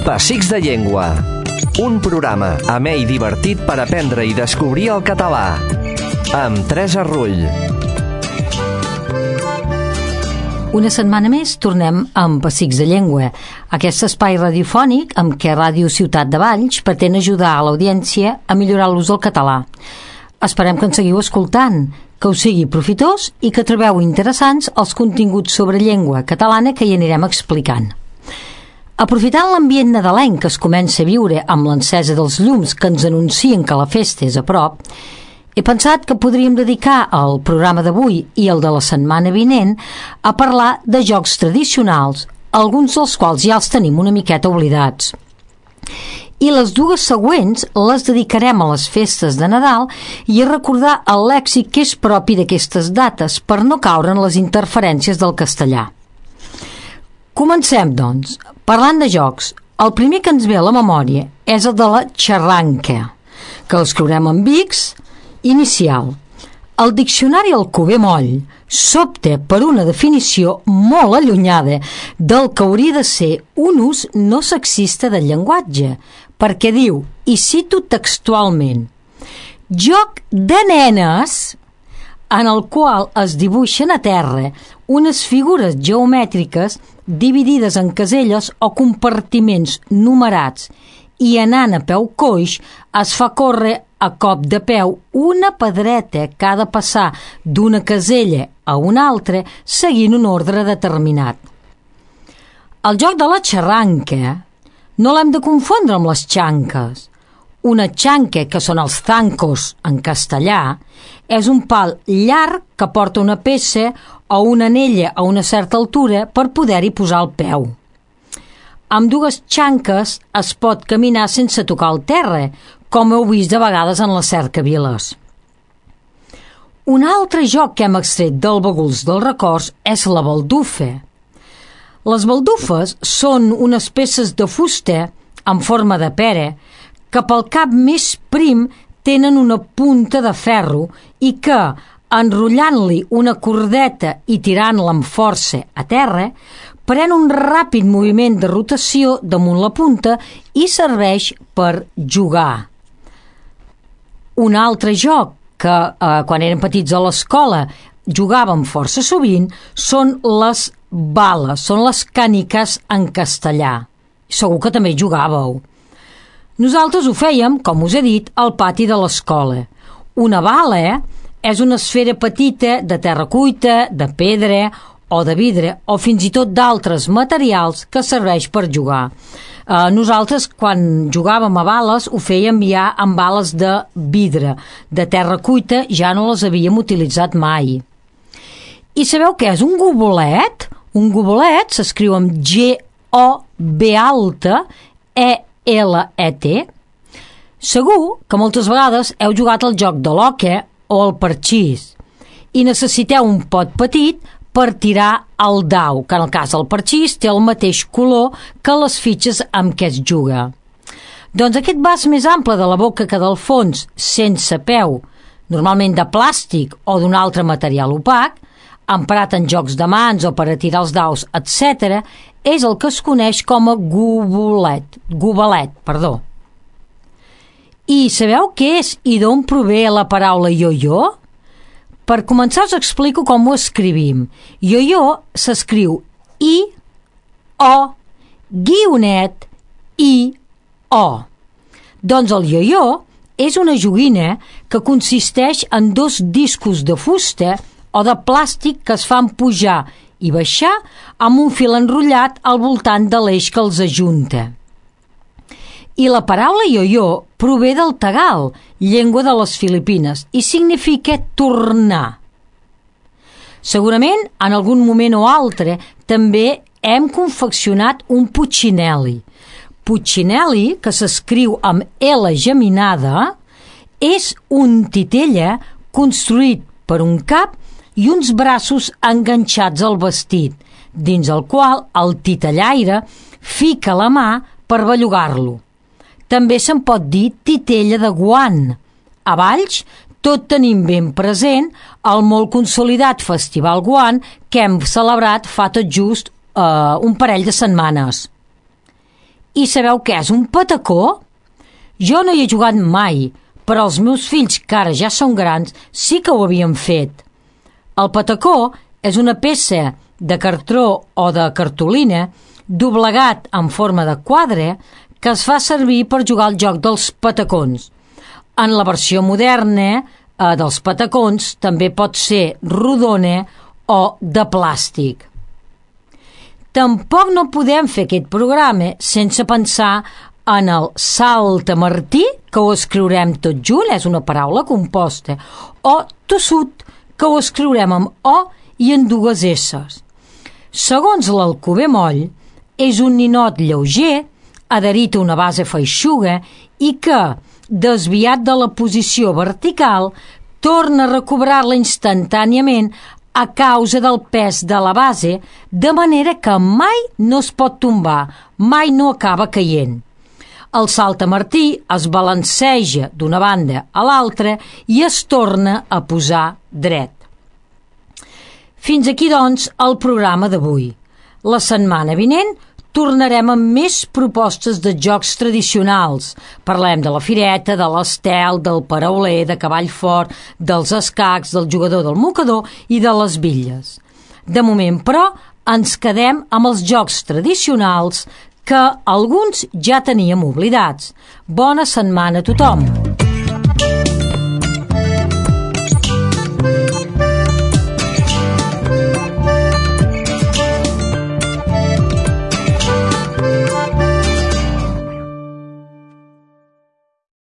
Pessics de Llengua. Un programa amè i divertit per aprendre i descobrir el català. Amb Teresa Rull. Una setmana més tornem amb Pessics de Llengua, aquest espai radiofònic amb què Ràdio Ciutat de Valls pretén ajudar a l'audiència a millorar l'ús del català. Esperem que ens seguiu escoltant, que us sigui profitós i que trobeu interessants els continguts sobre llengua catalana que hi anirem explicant. Aprofitant l'ambient nadalenc que es comença a viure amb l'encesa dels llums que ens anuncien que la festa és a prop, he pensat que podríem dedicar el programa d'avui i el de la setmana vinent a parlar de jocs tradicionals, alguns dels quals ja els tenim una miqueta oblidats. I les dues següents les dedicarem a les festes de Nadal i a recordar el lèxic que és propi d'aquestes dates per no caure en les interferències del castellà. Comencem, doncs, parlant de jocs. El primer que ens ve a la memòria és el de la xarranca, que l'escriurem amb X, inicial. El diccionari Alcover Moll s'opta per una definició molt allunyada del que hauria de ser un ús no sexista del llenguatge, perquè diu, i cito textualment, joc de nenes en el qual es dibuixen a terra unes figures geomètriques dividides en caselles o compartiments numerats i anant a peu coix es fa córrer a cop de peu una pedreta que ha de passar d'una casella a una altra seguint un ordre determinat. El joc de la xarranca no l'hem de confondre amb les xanques. Una xanca, que són els zancos en castellà, és un pal llarg que porta una peça o una anella a una certa altura per poder-hi posar el peu. Amb dues xanques es pot caminar sense tocar el terra, com heu vist de vegades en les cercaviles. Un altre joc que hem extret del baguls dels records és la baldufa. Les baldufes són unes peces de fusta en forma de pera que pel cap més prim tenen una punta de ferro i que, enrotllant-li una cordeta i tirant-la amb força a terra, pren un ràpid moviment de rotació damunt la punta i serveix per jugar. Un altre joc que quan érem petits a l'escola jugàvem força sovint són les bales, són les càniques en castellà. Segur que també jugàveu. Nosaltres ho fèiem, com us he dit, al pati de l'escola. Una bala és una esfera petita de terra cuita, de pedra o de vidre o fins i tot d'altres materials que serveix per jugar. Nosaltres, quan jugàvem a bales, ho fèiem ja amb bales de vidre. De terra cuita ja no les havíem utilitzat mai. I sabeu què és un gobolet? Un gobolet s'escriu amb G-O-B alta, E-L-E-T. Segur que moltes vegades heu jugat al joc de l'oca o al parxís i necessiteu un pot petit per tirar el dau, que en el cas del parxís té el mateix color que les fitxes amb què es juga. Doncs aquest vas més ample de la boca que del fons, sense peu, normalment de plàstic o d'un altre material opac, emprat en jocs de mans o per a tirar els daus, etc., és el que es coneix com a gobelet. I sabeu què és i d'on prové la paraula io-io? Per començar us explico com ho escrivim. Io-io s'escriu I-O, guionet, I-O. Doncs el io-io és una joguina que consisteix en dos discos de fusta o de plàstic que es fan pujar i baixar amb un fil enrotllat al voltant de l'eix que els ajunta. I la paraula io-io prové del tagal, llengua de les Filipines, i significa tornar. Segurament, en algun moment o altre, també hem confeccionat un puccinelli. Puccinelli, que s'escriu amb L geminada, és un titella construït per un cap i uns braços enganxats al vestit, dins el qual el titellaire fica la mà per bellugar-lo. També se'n pot dir titella de guant. A Valls tot tenim ben present el molt consolidat Festival Guant que hem celebrat fa tot just un parell de setmanes. I sabeu què és un patacó? Jo no hi he jugat mai, però els meus fills, que ara ja són grans, sí que ho havien fet. El patacó és una peça de cartró o de cartolina doblegat en forma de quadre que es fa servir per jugar al joc dels patacons. En la versió moderna dels patacons també pot ser rodona o de plàstic. Tampoc no podem fer aquest programa sense pensar en el saltamartí, que ho escriurem tot junt, és una paraula composta, o tossut, que ho escriurem amb O i en dues S's. Segons l'Alcover moll, és un ninot lleuger, adherit a una base feixuga i que, desviat de la posició vertical, torna a recobrar-la instantàniament a causa del pes de la base, de manera que mai no es pot tombar, mai no acaba caient. El saltamartí es balanceja d'una banda a l'altra i es torna a posar dret. Fins aquí, doncs, el programa d'avui. La setmana vinent tornarem amb més propostes de jocs tradicionals. Parlem de la fireta, de l'estel, del parauler, de cavall fort, dels escacs, del jugador del mocador i de les bitlles. De moment, però, ens quedem amb els jocs tradicionals que alguns ja teníem oblidats. Bona setmana a tothom!